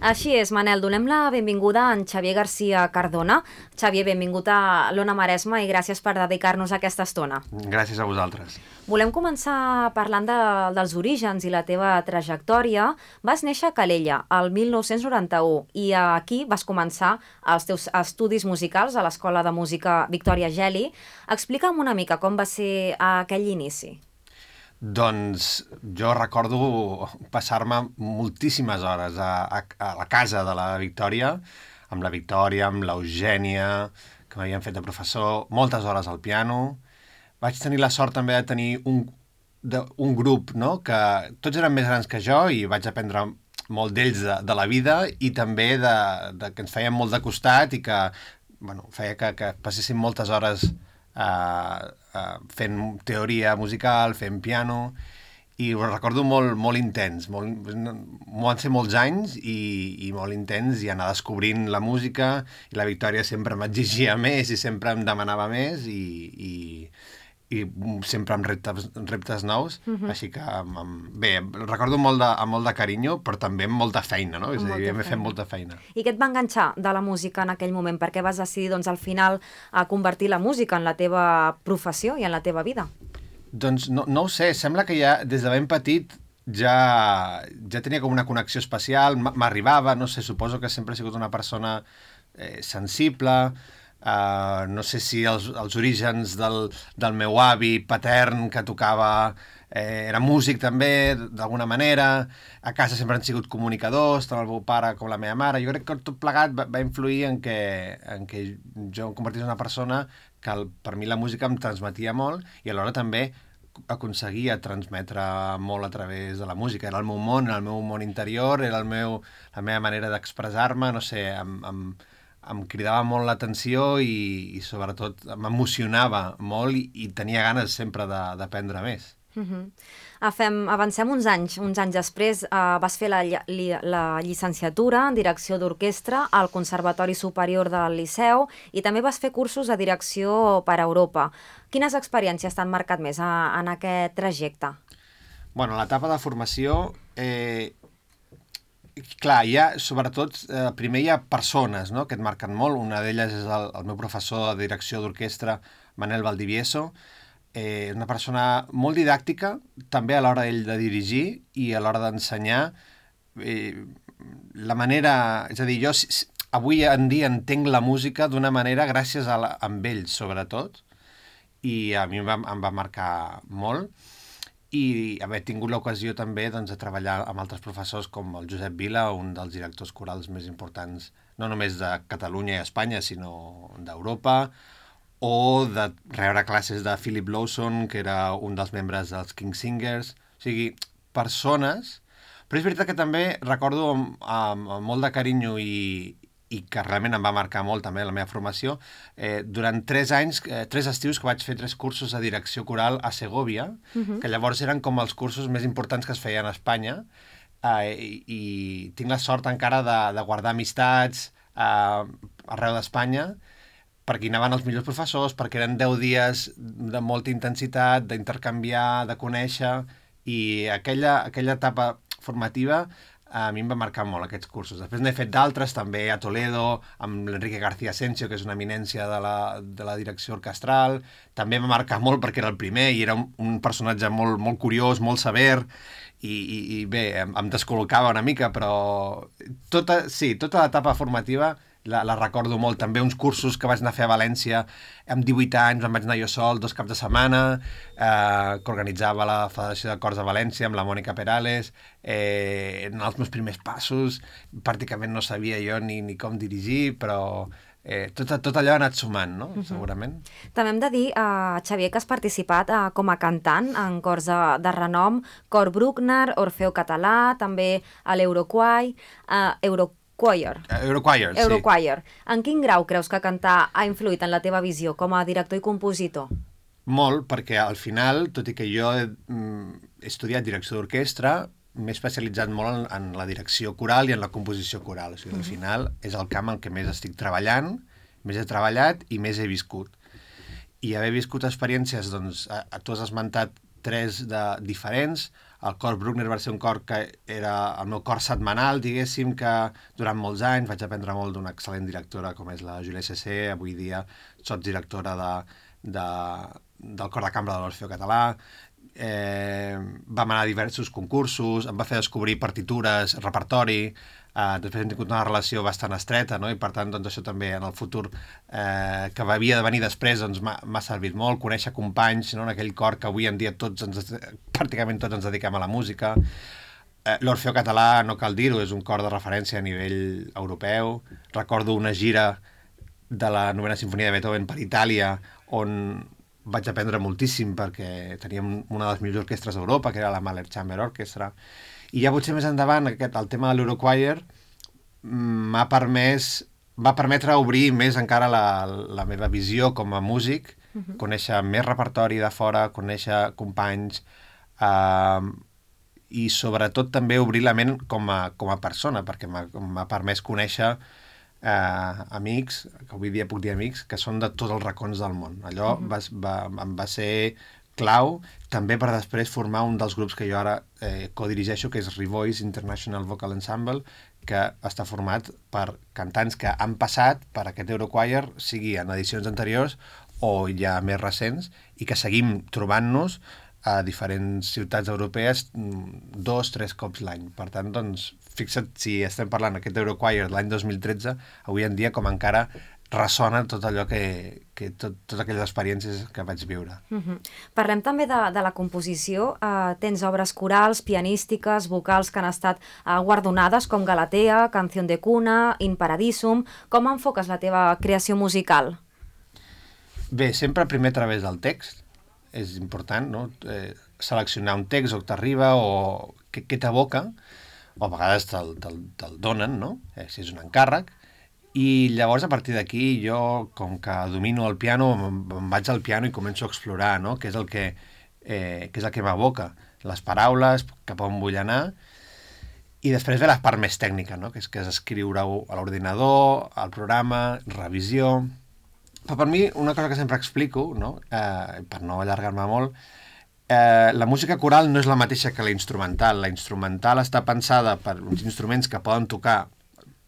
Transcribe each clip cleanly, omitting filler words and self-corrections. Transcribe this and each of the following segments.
Així és, Manel, donem la benvinguda a en Xavier García Cardona. Xavier, benvingut a l'Ona Maresma i gràcies per dedicar-nos aquesta estona. Gràcies a vosaltres. Volem començar parlant dels orígens i la teva trajectòria. Vas néixer a Calella el 1991 i aquí vas començar els teus estudis musicals a l'Escola de Música Victòria Geli. Explica'm una mica com va ser aquell inici. Doncs jo recordo passar-me moltíssimes hores a la casa de la Victòria, amb l'Eugènia, que m'havien fet de professor, moltes hores al piano. Vaig tenir la sort també de tenir un grup, no?, que tots eren més grans que jo i vaig aprendre molt d'ells de la vida i també que ens feien molt de costat i que feia que passéssim moltes hores fent teoria musical, fent piano, i ho recordo molt intens. Van ser molts anys i molt intens, i anar descobrint la música, i la Victòria sempre m'exigia més i sempre em demanava més, i sempre amb reptes nous, així que bé, recordo amb molt de carinyo, però també amb molta feina, no? És a dir, hem fet molta feina. I què et va enganxar de la música en aquell moment? Per què vas decidir, doncs, al final, a convertir la música en la teva professió i en la teva vida? Doncs no ho sé, sembla que ja des de ben petit ja tenia com una connexió especial, m'arribava, no sé, suposo que sempre he sigut una persona sensible. No sé si els orígens del meu avi patern que tocava era músic també, d'alguna manera. A casa sempre han sigut comunicadors, tant el meu pare com la meva mare. Jo crec que tot plegat va influir en que jo em convertís en una persona que per mi la música em transmetia molt i alhora també aconseguia transmetre molt a través de la música. Era el meu món, el meu món interior, era la meva manera d'expressar-me, no sé, em cridava molt l'atenció i sobretot m'emocionava molt i tenia ganes sempre d'aprendre més. Avancem uns anys després. Vas fer la llicenciatura en direcció d'orquestra al Conservatori Superior del Liceu i també vas fer cursos de direcció per Europa. Quines experiències t'han marcat més en aquest trajecte? Bueno, a l'etapa de formació, clar, sobretot, primer hi ha persones, no?, que et marquen molt. Una d'elles és el meu professor de direcció d'orquestra, Manel Valdivieso. Una persona molt didàctica, també a l'hora ell de dirigir i a l'hora d'ensenyar. La manera... És a dir, jo avui en dia entenc la música d'una manera gràcies amb ell, sobretot, i a mi em va marcar molt. I haver tingut l'ocasió també de treballar amb altres professors com el Josep Vila, un dels directors corals més importants, no només de Catalunya i Espanya, sinó d'Europa, o de rebre classes de Philip Lawson, que era un dels membres dels King Singers. O sigui, persones... Però és veritat que també recordo amb molt de carinyo i que realment em va marcar molt també la meva formació, durant 3 anys, 3 estius que vaig fer 3 cursos de direcció coral a Segòvia, que llavors eren com els cursos més importants que es feien a Espanya, i tinc la sort encara de guardar amistats arreu d'Espanya, perquè hi anaven els millors professors, perquè eren 10 dies de molta intensitat, d'intercanviar, de conèixer, i aquella etapa formativa a mi em va marcar molt, aquests cursos. Després n'he fet d'altres, també a Toledo, amb l'Enrique García Asensio, que és una eminència de la direcció orquestral. També em va marcar molt perquè era el primer i era un personatge molt curiós, molt sever, i bé, em descol·locava una mica, però tota l'etapa formativa la recordo molt. També uns cursos que vaig anar a fer a València amb 18 anys, em vaig anar jo sol 2 caps de setmana, que organitzava la Federació de Cors de València amb la Mònica Perales. Eren els meus primers passos, pràcticament no sabia jo ni com dirigir, però tot allò ha anat sumant, no? Segurament. També hem de dir, Xavier, que has participat com a cantant en cors de renom, Cor Bruckner, Orfeo Català, també a l'Eurochoir, Eurochoir, sí. Eurochoir. En quin grau creus que cantar ha influït en la teva visió com a director i compositor? Molt, perquè al final, tot i que jo he estudiat direcció d'orquestra, m'he especialitzat molt en la direcció coral i en la composició coral. O sigui, al final és el camp en què més estic treballant, més he treballat i més he viscut. I haver viscut experiències, doncs, tu has esmentat 3 diferents, El cor Bruckner va ser un cor que era el meu cor setmanal, diguéssim, que durant molts anys vaig aprendre molt d'una excel·lent directora com és la Julia Cessé, avui dia sots directora del cor de cambra de l'Orfeó Català. Vam anar a diversos concursos, em va fer descobrir partitures, repertori, després hem tingut una relació bastant estreta, no? I per tant doncs, això també en el futur que havia de venir després doncs, m'ha servit molt, conèixer companys, no? En aquell cor que avui en dia pràcticament tots ens dediquem a la música. L'Orfeó Català, no cal dir-ho, és un cor de referència a nivell europeu. Recordo una gira de la novena sinfonia de Beethoven per Itàlia on vaig aprendre moltíssim perquè teníem una de les millors orquestres d'Europa, que era la Mahler Chamber Orchestra. I ja potser més endavant, el tema de l'Eurochoir va permetre obrir més encara la meva visió com a músic, conèixer més repertori de fora, conèixer companys, i sobretot també obrir la ment com a persona, perquè m'ha permès conèixer amics, que avui dia puc dir amics, que són de tots els racons del món. Allò em va ser clau, també per després formar un dels grups que jo ara codirigeixo, que és Revoice International Vocal Ensemble, que està format per cantants que han passat per aquest Eurochoir, sigui en edicions anteriors o ja més recents, i que seguim trobant-nos a diferents ciutats europees 2-3 cops l'any. Per tant, doncs, fixa't si estem parlant aquest Eurochoir de l'any 2013, avui en dia com encara ressona tot allò totes aquelles experiències que vaig viure. Parlem també de la composició. Tens obres corals, pianístiques, vocals que han estat guardonades com Galatea, Canción de Cuna, In Paradisum. Com enfoques la teva creació musical? Bé, sempre primer a través del text. És important, no? Seleccionar un text o que t'arriba o què t'evoca, o a vegades te'l donen, no? Si és un encàrrec. I llavors, a partir d'aquí, jo, com que domino el piano, em vaig al piano i començo a explorar, no? Què és el que m'evoca. Les paraules, cap on vull anar. I després ve la part més tècnica, no? Que és escriure-ho a l'ordinador, al programa, revisió. Però per mi, una cosa que sempre explico, no? Per no allargar-me molt, la música coral no és la mateixa que la instrumental. La instrumental està pensada per uns instruments que poden tocar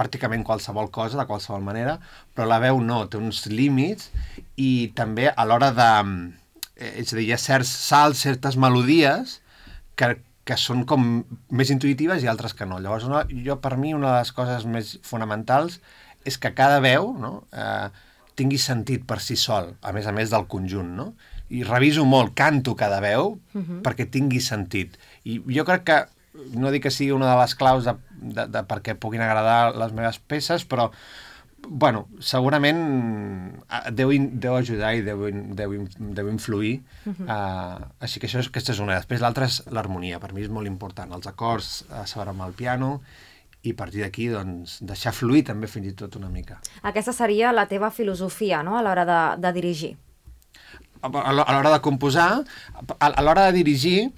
pràcticament qualsevol cosa, de qualsevol manera, però la veu no, té uns límits i també a l'hora de... És a dir, hi ha certs salts, certes melodies que són com més intuïtives i altres que no. Llavors, per mi, una de les coses més fonamentals és que cada veu, no, tingui sentit per si sol, a més del conjunt, no? I reviso molt, canto cada veu perquè tingui sentit. I jo crec que, no dic que sigui una de les claus de perquè puguin agradar les meves peces, però, bueno, segurament deu ajudar i deu influir. Així que aquesta és una. Després l'altra és l'harmonia. Per mi és molt important. Els acords, saber amb el piano, i a partir d'aquí, doncs, deixar fluir també fins i tot una mica. Aquesta seria la teva filosofia, no?, a l'hora de dirigir. A l'hora de composar, a l'hora de dirigir,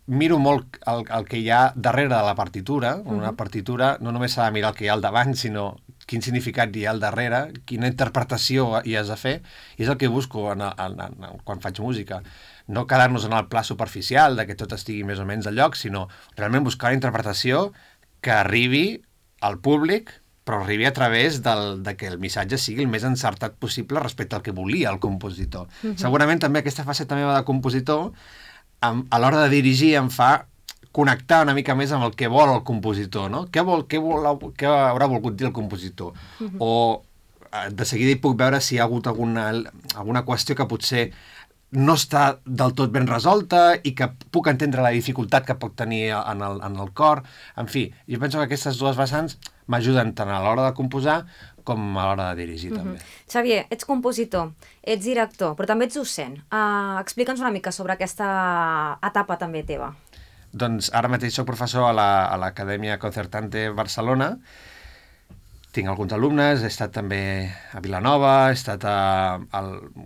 miro molt el que hi ha darrere de la partitura. Una partitura no només s'ha de mirar el que hi ha al davant, sinó quin significat hi ha al darrere, quina interpretació hi has de fer, i és el que busco quan faig música. No quedar-nos en el pla superficial de que tot estigui més o menys al lloc, sinó realment buscar una interpretació que arribi al públic, però arribi a través de que el missatge sigui el més encertat possible respecte al que volia el compositor. Segurament també aquesta faceta meva de compositor, a l'hora de dirigir, em fa connectar una mica més amb el que vol el compositor, no? Què haurà volgut dir el compositor? O de seguida hi puc veure si hi ha hagut alguna qüestió que potser no està del tot ben resolta i que puc entendre la dificultat que pot tenir en el cor. En fi, jo penso que aquestes dues vessants m'ajuden tant a l'hora de composar com a l'hora de dirigir, també. Xavier, ets compositor, ets director, però també ets docent. Explica'ns una mica sobre aquesta etapa també teva. Doncs ara mateix soc professor a l'Acadèmia Concertante Barcelona. Tinc alguns alumnes, he estat també a Vilanova, he estat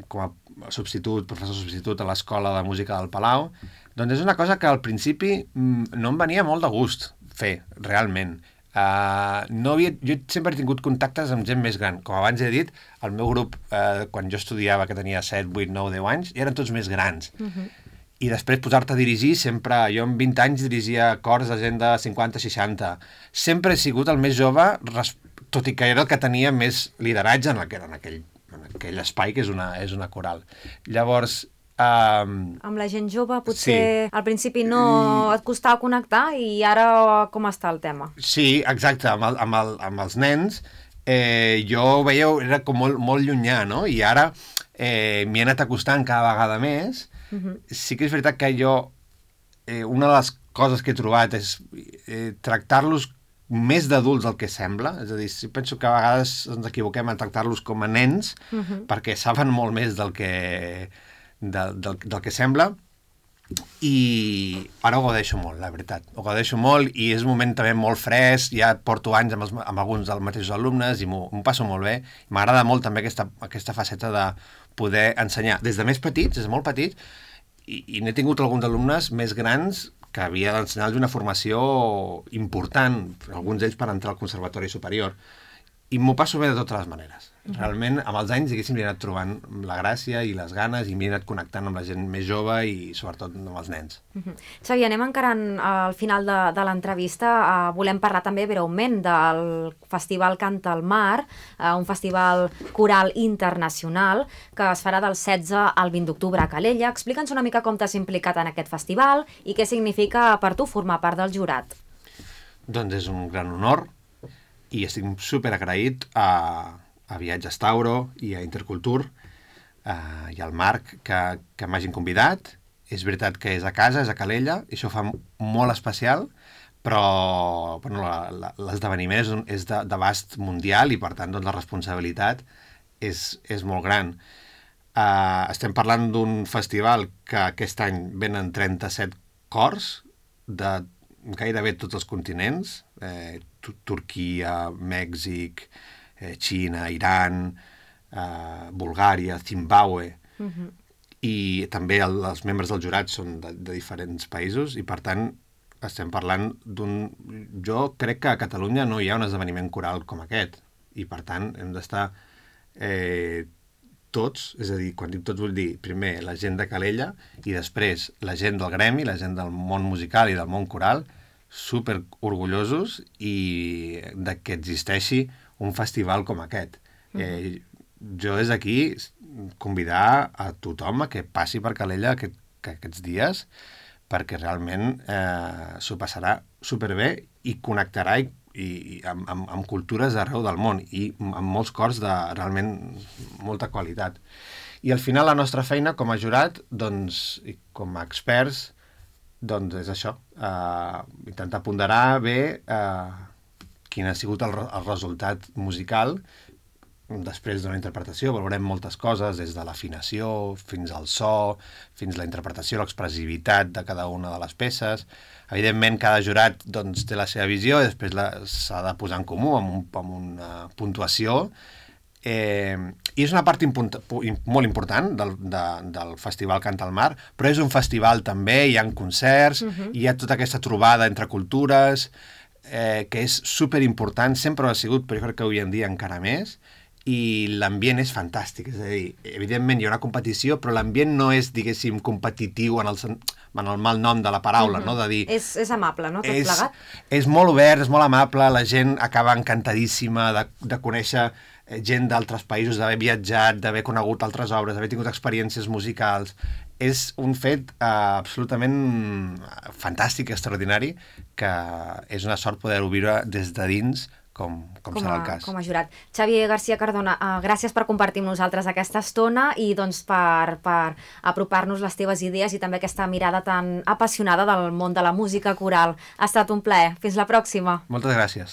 com a professor substitut a l'Escola de Música del Palau. Doncs és una cosa que al principi no em venia molt de gust fer, realment. Jo sempre he tingut contactes amb gent més gran. Com abans he dit, el meu grup, quan jo estudiava, que tenia 7, 8, 9, 10 anys, eren tots més grans. i després posar-te a dirigir sempre... Jo amb 20 anys dirigia cors de gent de 50-60. Sempre he sigut el més jove, tot i que era el que tenia més lideratge en aquell espai que és una coral. Llavors... Amb la gent jove potser al principi no et costava connectar i ara com està el tema? Sí, exacte, amb els nens jo ho veia, era com molt llunyà, no? I ara m'hi he anat acostant cada vegada més. Sí que és veritat que jo una de les coses que he trobat és tractar-los més d'adults del que sembla, és a dir, penso que a vegades ens equivoquem en tractar-los com a nens perquè saben molt més del que sembla, i ara ho gaudeixo molt, la veritat. Ho gaudeixo molt i és un moment també molt fresc, ja porto anys amb alguns dels mateixos alumnes i m'ho passo molt bé. M'agrada molt també aquesta faceta de poder ensenyar des de més petits, des de molt petits, i n'he tingut alguns alumnes més grans que havia d'ensenyar-los una formació important, alguns d'ells per entrar al Conservatori Superior. I m'ho passo bé de totes les maneres. Realment, amb els anys, diguéssim, li he anat trobant la gràcia i les ganes i m'he anat connectant amb la gent més jove i, sobretot, amb els nens. Xavi, anem encarant al final de l'entrevista. Volem parlar també breument del Festival Canta al Mar, un festival coral internacional que es farà del 16 al 20 d'octubre a Calella. Explica'ns una mica com t'has implicat en aquest festival i què significa per tu formar part del jurat. Doncs és un gran honor i estic super agraït a Viatges Tauro i a Intercultur i al Marc que m'hagin convidat. És veritat que és a casa, és a Calella, i això ho fa molt especial, però bueno, l'esdeveniment és d'abast mundial i per tant doncs, la responsabilitat és molt gran. Estem parlant d'un festival que aquest any venen 37 cors de gairebé tots els continents, Turquia, Mèxic, Xina, Iran, Bulgària, Zimbàbue, i també els membres del jurat són de diferents països i per tant estem parlant jo crec que a Catalunya no hi ha un esdeveniment coral com aquest i per tant hem d'estar tots, és a dir, quan dic tots vull dir primer la gent de Calella i després la gent del gremi, la gent del món musical i del món coral, super orgullosos i de que existeixi un festival com aquest. Jo des d'aquí convidar a tothom a que passi per Calella aquests dies perquè realment s'ho passarà superbé i connectarà amb cultures d'arreu del món i amb molts cors de realment molta qualitat. I al final la nostra feina com a jurat doncs, i com a experts doncs és això, intentar ponderar bé quin ha sigut el resultat musical després d'una interpretació. Valorem moltes coses, des de l'afinació fins al so, fins a la interpretació, l'expressivitat de cada una de les peces. Evidentment, cada jurat doncs, té la seva visió i després s'ha de posar en comú amb una puntuació. I és una part molt important del Festival Canta al Mar, però és un festival també, hi ha concerts, hi ha tota aquesta trobada entre cultures, que és superimportant, sempre ho ha sigut, però jo crec que avui en dia encara més, i l'ambient és fantàstic, és a dir, evidentment hi ha una competició, però l'ambient no és, diguéssim, competitiu en el mal nom de la paraula, no? De dir... És amable, no? Tot plegat? És molt obert, és molt amable, la gent acaba encantadíssima de conèixer gent d'altres països, d'haver viatjat, d'haver conegut altres obres, d'haver tingut experiències musicals. És un fet absolutament fantàstic, extraordinari, que és una sort poder-ho viure des de dins, com serà el cas. Com a jurat. Xavi García Cardona, gràcies per compartir amb nosaltres aquesta estona i doncs per apropar-nos les teves idees i també aquesta mirada tan apassionada del món de la música coral. Ha estat un plaer. Fins la pròxima. Moltes gràcies.